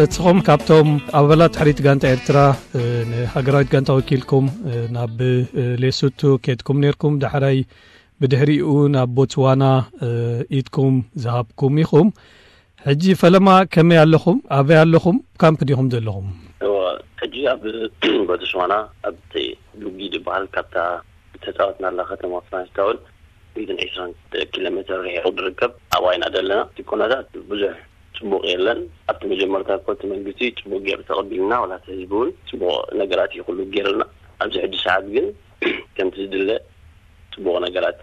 እትኹም ካብቶም ኣባላት ሕሪት ጋንታ ኤርትራ፣ እ፣ ንሃገራዊት ጋንታ ወኪልኩም፣ እ፣ ናብ፣ እ፣ ሌሱቱ ኬድኩም ኔርኩም፣ ዳሕራይ ብድሕሪኡ ናብ ቦትስዋና፣ እ፣ ኢድኩም ዝሃብኩም ኢኹም። ሕጂ ፈለማ ከመይ ኣለኹም? ኣበይ ኣለኹም? ካምፕ ዲኹም ዘለኹም? እወ፣ ሕጂ ኣብ ቦትስዋና ኣብቲ ዱጊ ዝበሃል ካብታ ዝተጻወትናላ ከተማ ፍራንስታውን ሚእትን ዕስራን ኪሎ ሜትር ርሒቑ ዝርከብ ኣብኣ ኢና ዘለና። እቲ ኩነታት ብዙሕ ጽቡቕ የለን። ኣብቲ መጀመርታ እኮ እቲ መንግስቲ ጽቡቕ ገይሩ ተቐቢልና፣ ዋላ እቲ ህዝቢ እውን ጽቡቕ ነገራት እዩ ኩሉ ገይሩልና። ኣብዚ ሕጂ ሰዓት ግን ከምቲ ዝድለ ጽቡቕ ነገራት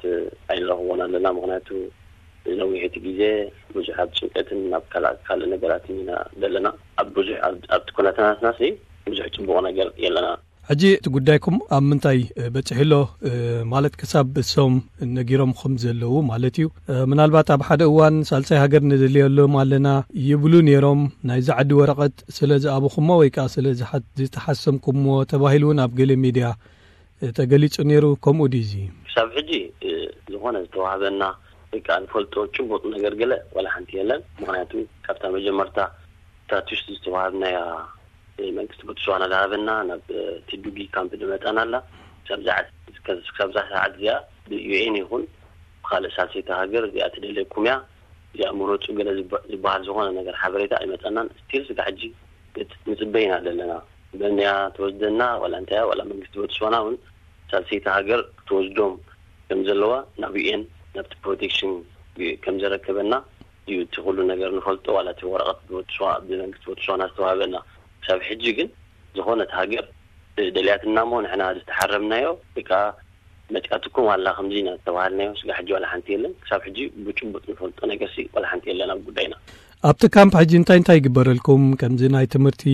ኣይንረኽቦን ኣለና። ምኽንያቱ ነዊሕ እቲ ግዜ ብዙሕ ኣብ ጭንቀትን ኣብ ካልእ ካልእ ነገራትን ኢና ዘለና። ኣብ ብዙሕ ኣብ- ኣብቲ ኩነታትናሲ ብዙሕ ጽቡቕ ነገር የለና። ሕጂ እቲ ጉዳይኩም ኣብ ምንታይ፣ እ፣ በጺሑ ኣሎ? እ፣ ማለት ክሳብ እሶም ነጊሮምኹም ዘለዉ ማለት እዩ። እ፣ ምናልባት ኣብ ሓደ እዋን ሳልሳይ ሃገር ንደልየሎም ኣለና ይብሉ ነይሮም። ናይዚ ዓዲ ወረቐት ስለ ዝኣበኹሞ ወይ ከኣ ስለ ዝሓ-፣ ዝተሓሰምኩምዎ ተባሂሉ እውን ኣብ ገለ ሚድያ፣ እ፣ ተገሊጹ ነይሩ። ከምኡ ድዩ እዚ? ክሳብ ሕጂ፣ እ፣ ዝኾነ ዝተዋህበና ወይ ከኣ ንፈልጦ ጭቡጥ ነገር ገለ ዋላ ሓንቲ የለን። ምኽንያቱ ካብታ መጀመርታ ስታቱስ ዝተዋሃብናያ መንግስቲ ቦትስዋና ዝሃበና ናብ፣ እ፣ ቲዱጊ ካምፕ ዝመጸና ኣላ። ክሳብ ዝዓ-፣ እስከ-፣ ክሳብ እዛ ሰዓት እዚኣ ብዩኤን ይኹን ብኻልእ ሳልሰይቲ ሃገር እዚኣ ትደልየኩም እያ፣ እዚኣ ምረጹ ገለ ዝባ-፣ ዝበሃል ዝኾነ ነገር ሓበሬታ ኣይመጸናን። ስቲል ስጋ ሕጂ ንጽ-፣ ንጽበይ ኢና ዘለና። በንያ ትወስደና ዋላ እንታይ እያ፣ ዋላ መንግስቲ ቦትስዋና እውን ሳልሰይቲ ሃገር ክትወስዶም ከም ዘለዋ ናብ ዩኤን ናብቲ ፕሮቴክሽን ከም ዘረከበና እዩ እቲ ኩሉ ነገር ንፈልጦ። ዋላ እቲ ወረቐት ብቦትስዋ-፣ ብመንግስቲ ቦትስዋና ዝተዋህበና። ክሳብ ሕጂ ግን ዝኾነት ሃገር ደልያትና እሞ ንሕና ዝተሓረምናዮ ወይ ከዓ መፂኣትኩም ኣላ ከምዚ ኢና ዝተባሃልናዮ ስጋ ሕጂ ዋላ ሓንቲ የለን። ክሳብ ሕጂ ብጭቡጥ ንፈልጦ ነገርሲ ዋላ ሓንቲ የለን ኣብ ጉዳይና። ኣብቲ ካምፕ ሕጂ እንታይ እንታይ ይግበረልኩም? ከምዚ ናይ ትምህርቲ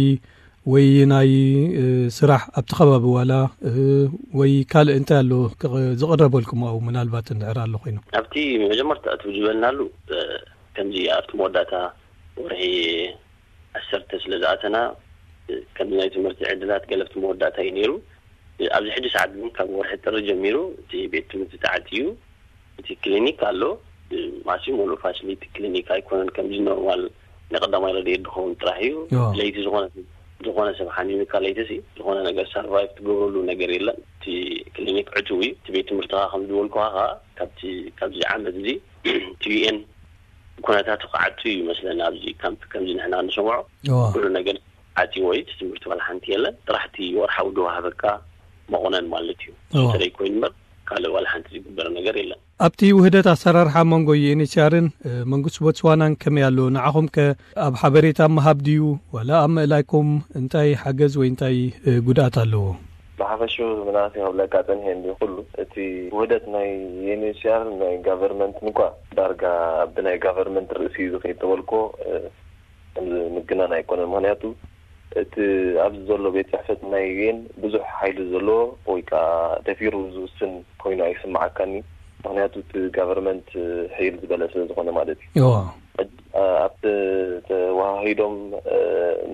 ወይ ናይ፣ እ፣ ስራሕ ኣብቲ ከባቢ ዋላ፣ እ፣ ወይ ካልእ እንታይ ኣሎ ክቕ-፣ ዝቕረበልኩም ኣብኡ ምናልባት እንድሕር ኣሎ ኮይኑ? ኣብቲ መጀመርታ እቲ ዝበልናሉ፣ እ፣ ከምዚ ኣብቲ መወዳእታ ወርሒ ዓሰርተ ስለ ዝኣተና፣ እ፣ ከምዚ ናይ ትምህርቲ ዕድላት ገለ ኣብቲ መወዳእታ እዩ ነይሩ። እ፣ ኣብዚ ሕጂ ሰዓት ግን ካብ ወርሒ ጥሪ ጀሚሩ እቲ ቤት ትምህርቲ ተዓጽዩ፣ እቲ ክሊኒክ ኣሎ። እ፣ ማሲ ሙሉእ ፋሲሊቲ ክሊኒክ ኣይኮነን፣ ከምዚ ኖርማል ናይ ቀዳማይ ረድኤት ዝኸውን ጥራሕ እዩ። እዎ። ለይቲ ዝኾነ፣ ዝኾነ ሰብ ሓሚሙካ ለይቲ ሲ፣ ዝኾነ ነገር ሰርቫይቭ ትገብረሉ ነገር የለን። እቲ ክሊኒክ ዕቱብ እዩ። እቲ ቤት ትምህርቲ ኸዓ ከም ዝበልኩኻ ኸዓ ካብቲ፣ ካብዚ ዓመት እዚ እቲ ዩ ኤን ኩነታቱ ክዓቱ እዩ ይመስለኒ። ኣብዚ ካምፕ ከምዚ ንሕና ንሰምዖ እዎ። ኩሉ ነገር ዓጽዎ እዩ። እቲ ትምህርቲ ዋላ ሓንቲ የለን። ጥራሕ እቲ ወርሓዊ ዝወሃበካ መቑነን ማለት እዩ። እዎ። እሱ ጥራይ ኮይኑ እምበር ካልእ ዋላ ሓንቲ ዝግበር ነገር የለን። ኣብቲ ውህደት ኣሰራርሓ መንጎ ዩ ኤን ኤች ሲ ኣርን፣ እ፣ መንግስቲ ቦትስዋናን ከመይ ኣሎ? ንዓኹም ከ ኣብ ሓበሬታ ምሃብ ድዩ? ዋላ ኣብ ምእላይኩም እንታይ ሓገዝ ወይ እንታይ፣ እ፣ ጉድኣት ኣለዎ? ብሓፈሽኡ ምናልባት ክብለካ ጸኒሐ እንዲ ኩሉ እቲ ውህደት ናይ ዩ ኤን ኤች ሲ ኣር ናይ ጋቨርመንት እንኳ ዳርጋ ብናይ ጋቨርመንት ርእሲ እዩ ዝኸይድ ተበልኮ፣ እ፣ ከምዚ ምግናን ኣይኮነን። ምኽንያቱ እቲ ኣብዚ ዘሎ ቤት ጽሕፈት ናይ ዩ ኤን ብዙሕ ሓይሊ ዘለዎ ወይ ከኣ ደፊሩ ዝውስን ኮይኑ ኣይስምዓካኒ። ምኽንያቱ እቲ ጋቨርመንት ሕይል ዝበለ ስለ ዝኾነ ማለት እዩ። እዋ። ሕጂ፣ እ፣ ኣብቲ ተዋሃሂዶም፣ እ፣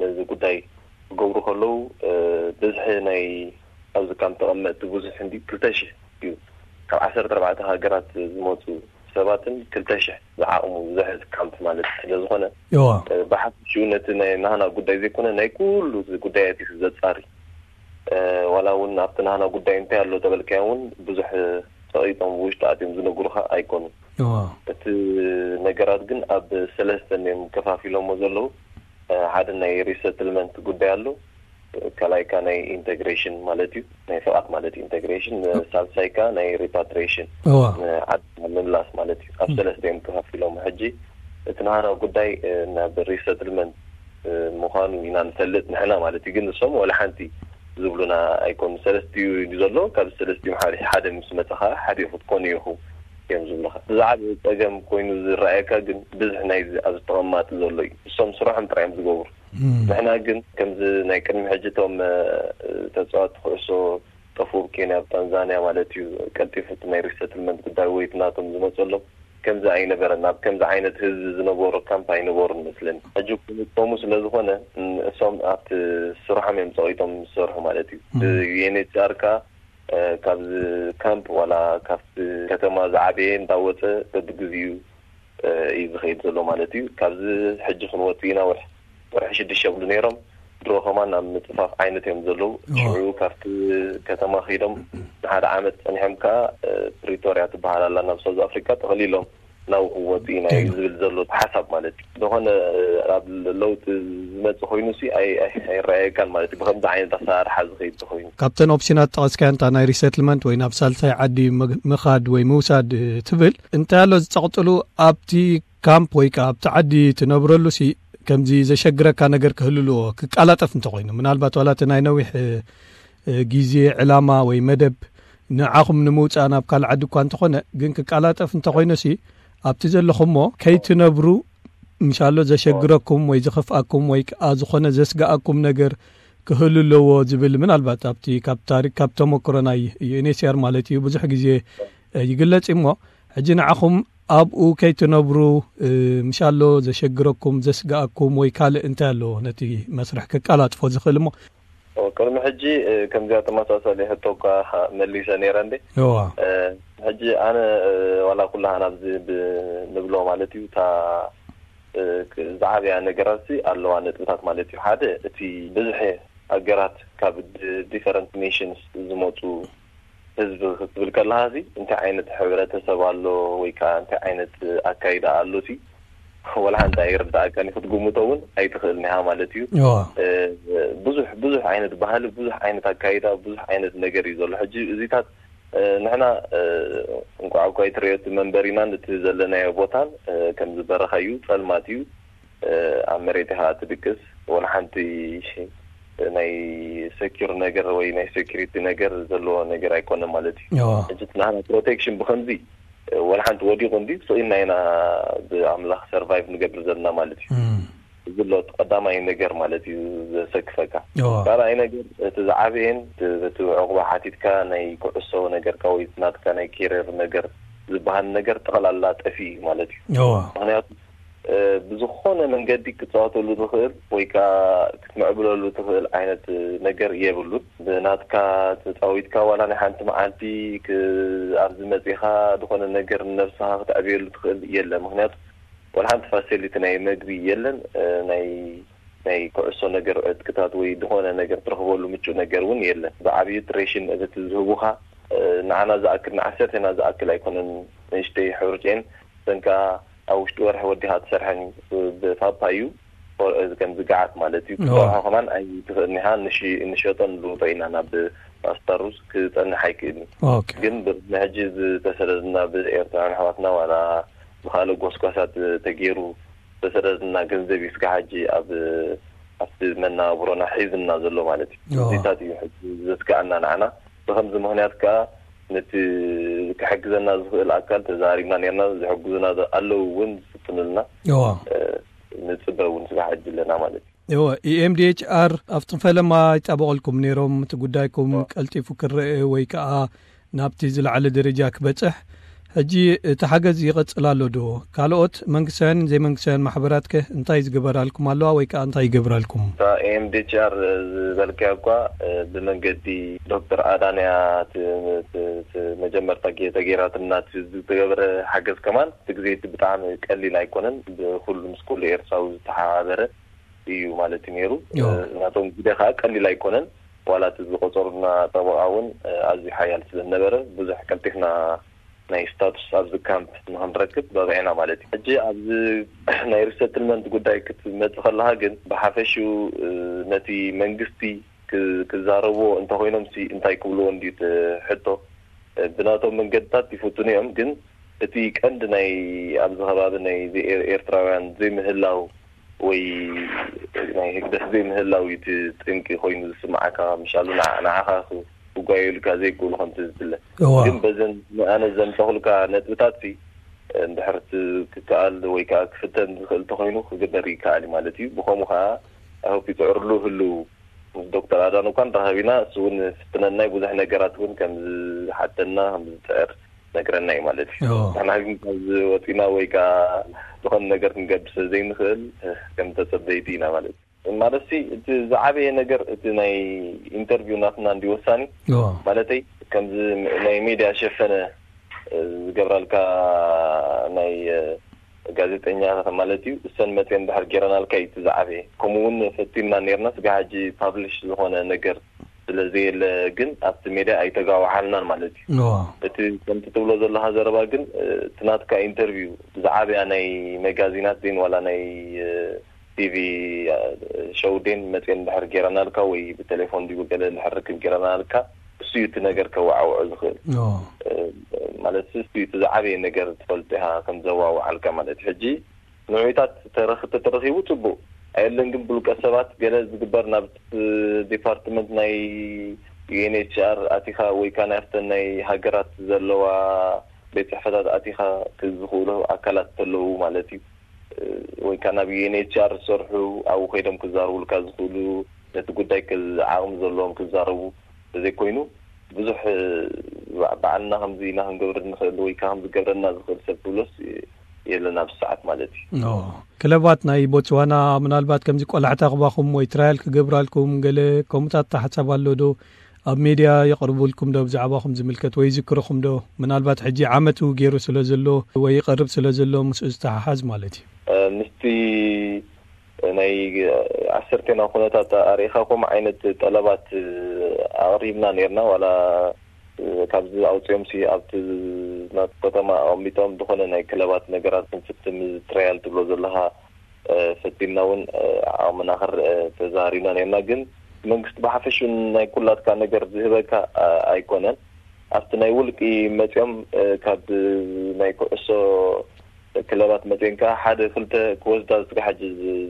ነዚ ጉዳይ ክገብሩ ከለዉ፣ እ፣ ብዝሒ ናይ ኣብዚ ካምፕ ተቐመጥቲ ብዙሕ እንዲ ክልተ ሽሕ እዩ። ካብ ዓሰርተ ኣርባዕተ ሃገራት ዝመጹ ሰባትን ክልተ ሽሕ ዝዓቕሙ ዝሕዝ ካምፕ ማለት ስለ ዝኾነ፣ እዋ። እ፣ ብሓፈሽኡ ነቲ ናይ ናህና ጉዳይ ዘይኮነ ናይ ኩሉ እዚ ጉዳያት እዩ ዘጻሪ። እ፣ ዋላ እውን ኣብቲ ናህና ጉዳይ እንታይ ኣሎ ተበልካዮ እውን ብዙሕ ጸቒጦም ብውሽጢ ኣትዮም ዝነግሩኻ ኣይኮኑን። እዋ። እቲ ነገራት ግን ኣብ ሰለስተ እዮም ከፋፊሎሞ ዘለዉ። እ፣ ሓደ ናይ ሪሰትልመንት ጉዳይ ኣሎ። ካልኣይካ ናይ ኢንተግሬሽን ማለት እዩ፣ ናይ ፍቓድ ማለት ኢንተግሬሽን፣ እ። ሳልሳይካ ናይ ሪፓትሪዬሽን፣ እዋ። ንዓድና ምምላስ ማለት እዩ። ኣብ ም። ሰለስተ እዮም ከፋፊሎም። ሕጂ እቲ ናህና ጉዳይ፣ እ፣ ናብ ሪሰትልመንት፣ እ፣ ምዃኑ ኢና ንፈልጥ ንሕና ማለት እዩ። ግን ንሶም ወላ ሓንቲ ዝብሉና ኣይኮኑ። ሰለስቲኡ እዩ ዘሎ። ካብ ሰለስቲኦም ሓደ፣ ሓደ ምስ መጸኻ ሓደ ክትኮኑ ኢኹም እዮም ዝብሉኻ። ዝዓበየ ጸገም ኮይኑ ዝረኣየካ ግን ብዝሒ ናይዚ ኣብዚ ተቐማጢ ዘሎ እዩ። እሶም ስራሖም ጥራይ እዮም ዝገብሩ። እም። ንሕና ግን ከምዚ ናይ ቅድሚ ሕጂ እቶም፣ እ፣ ተጻወትቲ ኩዕሶ ጠፉ ኣብ ኬንያ፣ ኣብ ታንዛንያ ማለት እዩ፣ ቀልጢፉ እቲ ናይ ሪሰትልመንት ጉዳይ ወይ እቲ ናቶም ዝመጸሎም ከምዚ ኣይነበረን። ኣብ ከምዚ ዓይነት ህዝቢ ዝነበሮ ካምፕ ኣይነበሩን መስለኒ። ሕጂ ከምኡ ስለ ዝኾነ፣ ን-፣ እሶም ኣብቲ ስርሖም እዮም ጸቒጦም ዝሰርሑ ማለት እዩ። እም። ብ-፣ ዩ ኤን ኤች ሲ ኣር ከኣ፣ እ፣ ካብዚ ካምፕ ዋላ ካብቲ ከተማ ዝዓበየ እንዳወጸ በብግዚኡ፣ እ፣ እዩ ዝኸይድ ዘሎ ማለት እዩ። ካብዚ ሕጂ ክንወጽእ ኢና፣ ወርሒ ወርሒ ሽዱሽተ ይብሉ ነይሮም። ድሮ ከማን ኣብ ምጽፋፍ ዓይነት እዮም ዘለዉ። ሽዑ ካብቲ ከተማ ከይዶም ንሓደ ዓመት ጸኒሖም ከኣ ፕሪቶርያ ትበሃል ኣላ ናብ ሳውዝ ኣፍሪካ ጠቕሊሎም ናብኡ ክወፁ ኢና እዩ ዝብል ዘሎ ሓሳብ ማለት እዩ። ዝኾነ ኣብ ለውጢ ዝመፅእ ኮይኑ ሲ ኣይረኣየካን ማለት እዩ። ብከምዚ ዓይነት ኣሰራርሓ ዝኸይድ ተኮይኑ ካብተን ኦፕሽናት ጠቐስካዮ እንታ ናይ ሪሰትልመንት ወይ ናብ ሳልሳይ ዓዲ ምኻድ ወይ ምውሳድ ትብል እንታይ ኣሎ ዝፀቕጥሉ ኣብቲ ካምፕ ወይ ከዓ ኣብቲ ዓዲ ትነብረሉ ሲ ከምዚ ዘሸግረካ ነገር ክህልልዎ ክቃላጠፍ እንተኮይኑ ምናልባት ዋላ እቲ ናይ ነዊሕ ግዜ ዕላማ ወይ መደብ ንዓኹም ንምውፃእ ናብ ካልእ ዓዲ እኳ እንተኾነ ግን ክቃላጠፍ እንተኾይኑ ሲ ኣብቲ ዘለኹሞ ከይትነብሩ ምሻሎ ዘሸግረኩም ወይ ዝኸፍኣኩም ወይ ከዓ ዝኾነ ዘስግኣኩም ነገር ክህሉ ኣለዎ ዝብል ምናልባት ኣብቲ ካብ ታሪክ ካብ ተመክሮ ናይ ዩኤንኤችሲኣር ማለት እዩ ብዙሕ ግዜ ይግለጽ እሞ ሕጂ ንዓኹም ኣብኡ ከይትነብሩ ምሻሎ ዘሸግረኩም ዘስግኣኩም ወይ ካልእ እንታይ ኣሎ ነቲ መስርሕ ከቃላጥፎ ዝኽእል እሞ ቅድሚ ሕጂ ከምዚኣ ተመሳሳሊ ሕቶ እኳ መሊሰ ነይረ እንዴ ሕጂ ኣነ ዋላ ኩላሃና ኣብዚ ንብሎ ማለት እዩ እታ ዝዓበያ ነገራት ኣለዋ ነጥብታት ማለት እዩ ሓደ እቲ ብዝሒ ሃገራት ካብ different nations ዝመፁ ህዝቢ ክትብል ከለካ ሲ እንታይ ዓይነት ሕብረተሰብ ኣሎ ወይ ከዓ እንታይ ዓይነት ኣካይዳ ኣሎ ሲ ወላ ሓንቲ ኣይርዳእካን ክትግምቶ እውን ኣይትኽእልን ኢኻ ማለት እዩ። ብዙሕ ብዙሕ ዓይነት ባህሊ፣ ብዙሕ ዓይነት ኣካይዳ፣ ብዙሕ ዓይነት ነገር እዩ ዘሎ። ሕጂ እዚታት ንሕና እንቋዕ እኳ ኣይትርእዮ እቲ መንበሪናን እቲ ዘለናዮ ቦታን ከምዚ በረኻ እዩ፣ ጸልማት እዩ። ኣብ መሬት ኢኻ ትድቅስ። ወላ ሓንቲ ናይ secure ነገር ወይ ናይ security ነገር ዘለዎ ነገር ኣይኮነን ማለት እዩ። ሕጂ ናህና protection ብኸምዚ ወላ ሓንቲ ወዲቑ እንዲ ስኢና ኢና ብኣምላኽ survive ንገብር ዘለና ማለት እዩ። እዚ ኣሎ እቲ ቀዳማይ ነገር ማለት እዩ ዘሰክፈካ። ካልኣይ ነገር እቲ ዝዓበየን እቲ ዕቑባ ሓቲትካ ናይ ኩዕሶ ነገርካ ወይ ናትካ ናይ career ነገር ዝበሃል ነገር ጠቕላላ ጠፊኡ እዩ ማለት እዩ። ምክንያቱ ብዝኾነ መንገዲ ክትፃወተሉ ትኽእል ወይ ከዓ ክትምዕብለሉ ትኽእል ዓይነት ነገር የብሉን። ብናትካ ተፃዊትካ ዋላ ናይ ሓንቲ መዓልቲ ኣብዚ መፂኻ ዝኾነ ነገር ንነብስኻ ክትዕብየሉ ትኽእል የለ። ምክንያቱ ዋላ ሓንቲ facility ናይ መግቢ የለን። ናይ ናይ ኩዕሶ ነገር ዕጥቅታት ወይ ዝኾነ ነገር ትረኽበሉ ምቹእ ነገር እውን የለን። ብዓብዩ ration እቲ ዝህቡኻ ንዓና ዝኣክል ንዓሰርተና ዝኣክል ኣይኮነን። ንእሽተይ ሕርጭን ሰንካ ኣብ ውሽጢ ወርሒ ወዲኻ ትሰርሐን እዩ። ብፓፓ እዩ ከምዚ ገዓት ማለት እዩ። ክትሰርሖ ከማን ኣይትኽእልን ኢኻ። ንሸጦ ንልውጦ ኢና ናብ ፓስታ ሩዝ ክፀንሕ ኣይክእልን። ግን ንሕጂ ዝተሰደድና ብኤርትራውያን ኣሕዋትና ዋላ ብካልእ ጎስጓሳት ተገይሩ ዝተሰደድና ገንዘብ እዩ ስጋ ሕጂ ኣብ ኣብቲ መናብሮና ሒዝና ዘሎ ማለት እዩ። እዚታት እዩ ሕጂ ዘስግኣና ንዓና። ብከምዚ ምክንያት ከዓ ነቲ ክሕግዘና ዝኽእል ኣካል ተዛሪብና ነርና። ዝሕግዙና ኣለዉ እውን ዝፍትኑልና ንፅበ እውን ስራሕ ሕጂ ኣለና ማለት እዩ። እወ፣ EMDHR ኣብቲ ፈለማ ይጣበቐልኩም ነይሮም፣ እቲ ጉዳይኩም ቀልጢፉ ክረአ ወይ ከዓ ናብቲ ዝለዓለ ደረጃ ክበፅሕ። ሕጂ እቲ ሓገዝ ይቐፅል ኣሎ ዶ? ካልኦት መንግስታውያንን ዘይመንግስታውያን ማሕበራት ከ እንታይ ዝገበራልኩም ኣለዋ ወይ ከዓ እንታይ ይገብራልኩም? እታ EMDHR ዝበልካያ እኳ ብመንገዲ ዶክተር ኣዳንያ መጀመርታ ተገይራትና ዝገበረ ሓገዝ ከማን እቲ ግዜ እቲ ብጣዕሚ ቀሊል ኣይኮነን። ብኩሉ ምስ ኩሉ ኤርትራዊ ዝተሓባበረ እዩ ማለት እዩ ነይሩ። ናቶም ግደ ከዓ ቀሊል ኣይኮነን። ዋላ እቲ ዝቆፀሩና ጠበቃ እውን ኣዝዩ ሓያል ስለዝነበረ ብዙሕ ቀልጢፍና ናይ ስታቱስ ኣብዚ ካምፕ ንክንረክብ በቂዕና ማለት እዩ። ሕጂ ኣብዚ ናይ ሪሰትልመንት ጉዳይ ክትመፅእ ከለካ ግን ብሓፈሽኡ ነቲ መንግስቲ ክዛረብዎ እንተኮይኖም ሲ እንታይ ክብልዎ እንድዩ እቲ ሕቶ። ብናቶም መንገድታት ይፍትኑ እዮም፣ ግን እቲ ቀንዲ ናይ ኣብዚ ከባቢ ናይ ኤርትራውያን ዘይምህላው ወይ ናይ ህግደፍ ዘይምህላው እዩ እቲ ጠንቂ ኮይኑ ዝስምዓካ። ምሻሉ ንዓኻ ክጓየሉካ ዘይክእሉ ከምቲ ዝፍለ ግን በዘን ኣነ ዘምፀኹልካ ነጥብታት ሲ እንድሕር ክከኣል ወይ ከዓ ክፍተን ዝኽእል ተኮይኑ ክግበር ይከኣል እዩ ማለት እዩ። ብከምኡ ከዓ ኣይሆፕ ይፅዕርሉ ህልው ምስ ዶክተር ኣዳን እኳ ንራኸብ ኢና። እሱ እውን ፍትነናይ ብዙሕ ነገራት እውን ከም ዝሓተና ከም ዝፅዕር ነግረና እዩ ማለት እዩ። ንሕና ግን ካብ ዝወፂና ወይ ከዓ ዝኾነ ነገር ክንገብር ስለ ዘይንኽእል ከም ተፀበይቲ ኢና ማለት እዩ። ማለት ሲ እቲ ዝዓበየ ነገር እቲ ናይ ኢንተርቪው ናትና እንዲ ወሳኒ ማለተይ ከምዚ ናይ ሜድያ ሸፈነ ዝገብራልካ ናይ ጋዜጠኛ ማለት እዩ። እሰን መፅየን ድሕር ጌረናልካ እዩ እቲ ዝዓበየ። ከምኡ እውን ፈቲንና ነርና፣ ስጋ ሕጂ ፓብሊሽ ዝኾነ ነገር ስለ ዘየለ ግን ኣብቲ ሜድያ ኣይተጋዋዓልናን ማለት እዩ። እቲ ከምቲ ትብሎ ዘለኻ ዘረባ ግን እቲ ናትካ ኢንተርቪው ብዝዓበያ ናይ መጋዚናት ዜን ዋላ ናይ ቲቪ ሸው ዴን መፅየን ድሕር ጌረናልካ ወይ ብቴሌፎን ዲቡ ገለ ድሕር ርክብ ጌረናልካ፣ እሱ እዩ እቲ ነገር ከዋዓውዖ ዝኽእል። ማለት እሱ እዩ እቲ ዝዓበየ ነገር ትፈልጦ ኢኻ ከም ዘዋውዓልካ ማለት እዩ። ሕጂ ንዑታት ተረኽ- ተተረኺቡ ጽቡቕ ኣየለን፣ ግን ብልቀ ሰባት ገለ ዝግበር ናብ ዲፓርትመንት ናይ ዩ ኤን ኤች ኣር ኣቲኻ ወይ ከኣ ናብተን ናይ ሃገራት ዘለዋ ቤት ጽሕፈታት ኣቲኻ ክዝኽእሉ ኣካላት ተለዉ ማለት እዩ። ወይ ከኣ ናብ ዩ ኤን ኤች ኣር ዝሰርሑ ኣብኡ ከይዶም ክዛርቡልካ ዝኽእሉ፣ ነቲ ጉዳይ ክል- ዓቕሚ ዘለዎም ክዛረቡ ተዘይኮይኑ ብዙሕ ባ- ባዕልና ከምዚ ኢና ክንገብር ንኽእል ወይ ከኣ ከምዚ ገብረና ዝኽእል ሰብ ትብሎስ የለን ኣብዚ ሰዓት ማለት እዩ። ኖ። ክለባት ናይ ቦትስዋና ምናልባት ከምዚ ቆላሕታ ክባኹም ወይ ትራያል ክገብራልኩም ገለ ከምኡታት ሓሳብ ኣሎ ዶ? ኣብ ሜድያ የቕርቡልኩም ዶ? ብዛዕባኹም ዝምልከት ወይ ይዝክርኹም ዶ? ምናልባት ሕጂ ዓመት ገይሩ ስለ ዘሎ ወይ ይቐርብ ስለ ዘሎ ምስኡ ዝተሓሓዝ ማለት እዩ። ምስቲ ናይ ዓሰርቴና ኩነታት ኣርኢኻ ከምኡ ዓይነት ጠለባት ኣቕሪብና ነርና። ዋላ ካብዚ ኣውፅኦም ሲ ኣብቲ ናቱ ከተማ ኣቐሚጦም ዝኾነ ናይ ክለባት ነገራት ክንፍትም ትራያል ትብሎ ዘለኻ ፈቲና እውን ዓቕምና ክርአ ተዛሪብና ነርና። ግን መንግስቲ ብሓፈሹ ናይ ኩላትካ ነገር ዝህበካ ኣይኮነን። ኣብቲ ናይ ውልቂ መፅኦም ካብ ናይ ኩዕሶ ክለባት መፅኦን ከዓ ሓደ ክልተ ክወስዳ ዝስጋ ሕጂ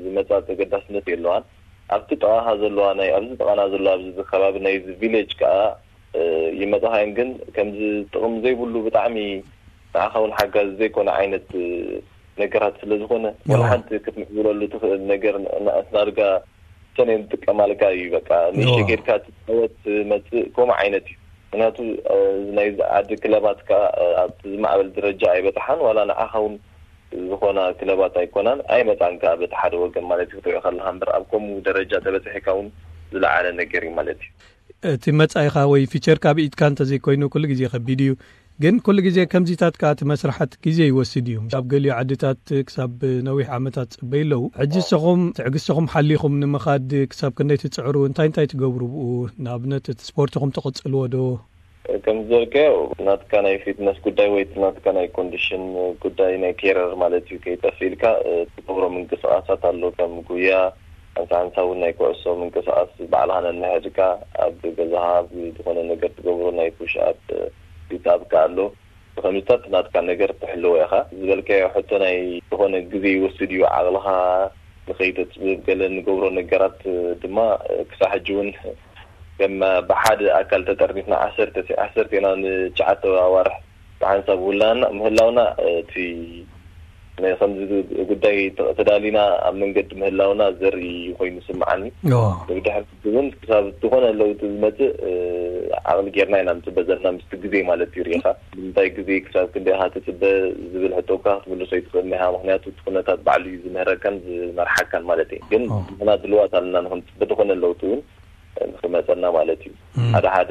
ዝመፃ ተገዳስነት የለዋን። ኣብቲ ጥቓኻ ዘለዋ ናይ ኣብዚ ጥቓና ዘለዋ ኣብዚ ከባቢ ናይ ቪሌጅ ከዓ ይመፃኻየን። ግን ከምዚ ጥቕሚ ዘይብሉ ብጣዕሚ ንዓኻ እውን ሓጋዚ ዘይኮነ ዓይነት ነገራት ስለ ዝኾነ ወላ ሓንቲ ክትምዕብለሉ ትኽእል ነገር ናድጋ ሰነ ንጥቀማልካ እዩ። በቃ ንእሽተይ ኬድካ ትፃወት መፅእ ከምኡ ዓይነት እዩ። ምክንያቱ ናይዚ ዓዲ ክለባት ከዓ ኣብቲ ዝማዕበል ደረጃ ኣይበፅሓን። ዋላ ንዓኻ እውን ዝኾና ክለባት ኣይኮናን ኣይመፃን ከዓ በቲ ሓደ ወገን ማለት እዩ ክትሪኦ ከለካ እምበር ኣብ ከምኡ ደረጃ ተበፅሒካ እውን ዝለዓለ ነገር እዩ ማለት እዩ። እቲ መጻኢኻ ወይ ፊቸርካ ብኢድካ እንተዘይኮይኑ ኩሉ ግዜ ከቢድ እዩ። ግን ኩሉ ግዜ ከምዚታት ከኣ እቲ መስርሓት ግዜ ይወስድ እዩ። ኣብ ገሊኡ ዓድታት ክሳብ ነዊሕ ዓመታት ጽበዩ ኣለዉ። ሕጂ ንስኹም ትዕግስትኹም ሓሊኹም ንምኻድ ክሳብ ክንደይ ትጽዕሩ? እንታይ እንታይ ትገብሩ ብኡ? ንኣብነት እቲ ስፖርትኹም ትቕጽልዎ ዶ? ከም ዝበልካዮ ናትካ ናይ ፊትነስ ጉዳይ ወይ እቲ ናትካ ናይ ኮንዲሽን ጉዳይ ናይ ኬረር ማለት እዩ ከይጠፍእ ኢልካ ትገብሮ ምንቅስቃሳት ኣሎ ከም ጉያ ሓንሳ ሓንሳ እውን ናይ ኩዕሶ ምንቅስቃስ ባዕልኻ ነንሕድካ ኣብ ገዛኻ ዝኾነ ነገር ትገብሮ ናይ ፑሽ ኣፕ ሲት ኣፕ ኣሎ። ብኸምዚታት ናትካ ነገር ትሕልዎ ኢኻ ዝበልካዮ ሕቶ ናይ ዝኾነ ግዜ ይወስድ እዩ። ዓቕልኻ ንኸይተፅብብ ገለ ንገብሮ ነገራት ድማ ክሳብ ሕጂ እውን ከም ብሓደ ኣካል ተጠርኒፍና ዓሰርተ ዓሰርተ ኢና ንትሽዓተ ኣዋርሕ ብሓንሳብ ውላና ምህላውና እቲ ናይ ከምዚ ጉዳይ ተዳሊና ኣብ መንገዲ ምህላውና ዘርኢ ኮይኑ ይስምዓኒ። ብድሕር እውን ክሳብ ዝኾነ ለውጢ ዝመፅእ ዓቕሊ ጌርና ኢና ንፅበ ዘለና ምስቲ ግዜ ማለት እዩ። ርኢኻ ንምንታይ ግዜ ክሳብ ክንደይ ኢኻ ትፅበ ዝብል ሕቶ እኳ ክትምልሶ ይትኽእል ኢኻ። ምክንያቱ እቲ ኩነታት ባዕሉ እዩ ዝምህረካን ዝመርሓካን ማለት እዩ። ግን ንሕና ድልዋት ኣለና ንክንፅበ ዝኾነ ለውጢ እውን ንክመፀና ማለት እዩ። ሓደ ሓደ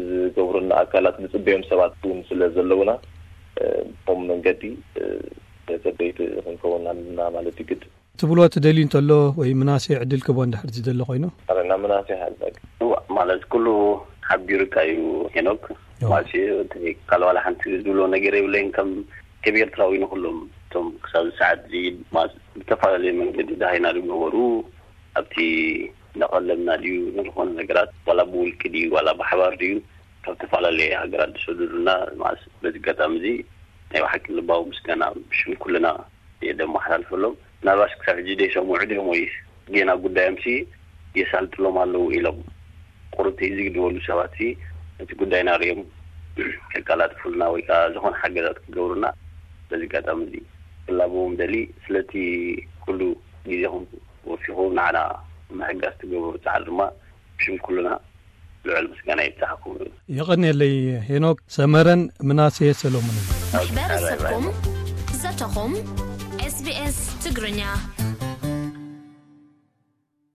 ዝገብሩና ኣካላት ንፅበዮም ሰባት እውን ስለ ዘለውና ብኸም መንገዲ ተፀበይቲ ክንከውን ኣለና ማለት እዩ ግድ። ትብሎ ትደልዩ እንተሎ ወይ ምናሴ ዕድል ክቦ እንድሕር ዝደሊ ኮይኑ። ኣረና ምናሴ ሓልፈግ እዋ ማለት ኩሉ ሓቢሩካ እዩ ሄኖክ። ማሲ ካልዋላ ሓንቲ ዝብሎ ነገር የብለይን ከም ከም ኤርትራዊ ንኩሎም እቶም ክሳብ ሰዓት እዚ ብተፈላለየ መንገዲ ዳሃይና ዝገበሩ ኣብቲ እናቐለብና ድዩ ንዝኾነ ነገራት ዋላ ብውልቂ ድዩ ዋላ ብሓባር ድዩ ካብ ዝተፈላለየ ሃገራት ዝሰደዱና ማስ በዚ ኣጋጣሚ እዚ ናይ ብሓቂ ልባዊ ምስጋና ብሽም ኩልና የደመሓላልፈሎም። ምናልባሽ ክሳብ ሕጂ ዘይሰምዑ ድዮም ወይስ ጌና ጉዳዮምሲ የሳልጥሎም ኣለዉ ኢሎም ቁርብቲ ዝግድበሉ ሰባት እቲ ጉዳይና ሪኦም ከቀላጥፉልና ወይ ከዓ ዝኾነ ሓገዛት ክገብሩና በዚ ኣጋጣሚ እዚ ክላበዎም ደሊ። ስለቲ ኩሉ ግዜኹም ወፊኹ ንዓና ምሕጋዝ ትገብሩ ፃዕሪ ድማ ብሽም ኩልና ልዑል ምስጋና ይብፃሓኩም። ይቐንየለይ ሄኖክ። ሰመረን ምናሴ ሰሎሞንን። ማሕበረሰብኩም ዘተኹም ኤስቢኤስ ትግርኛ።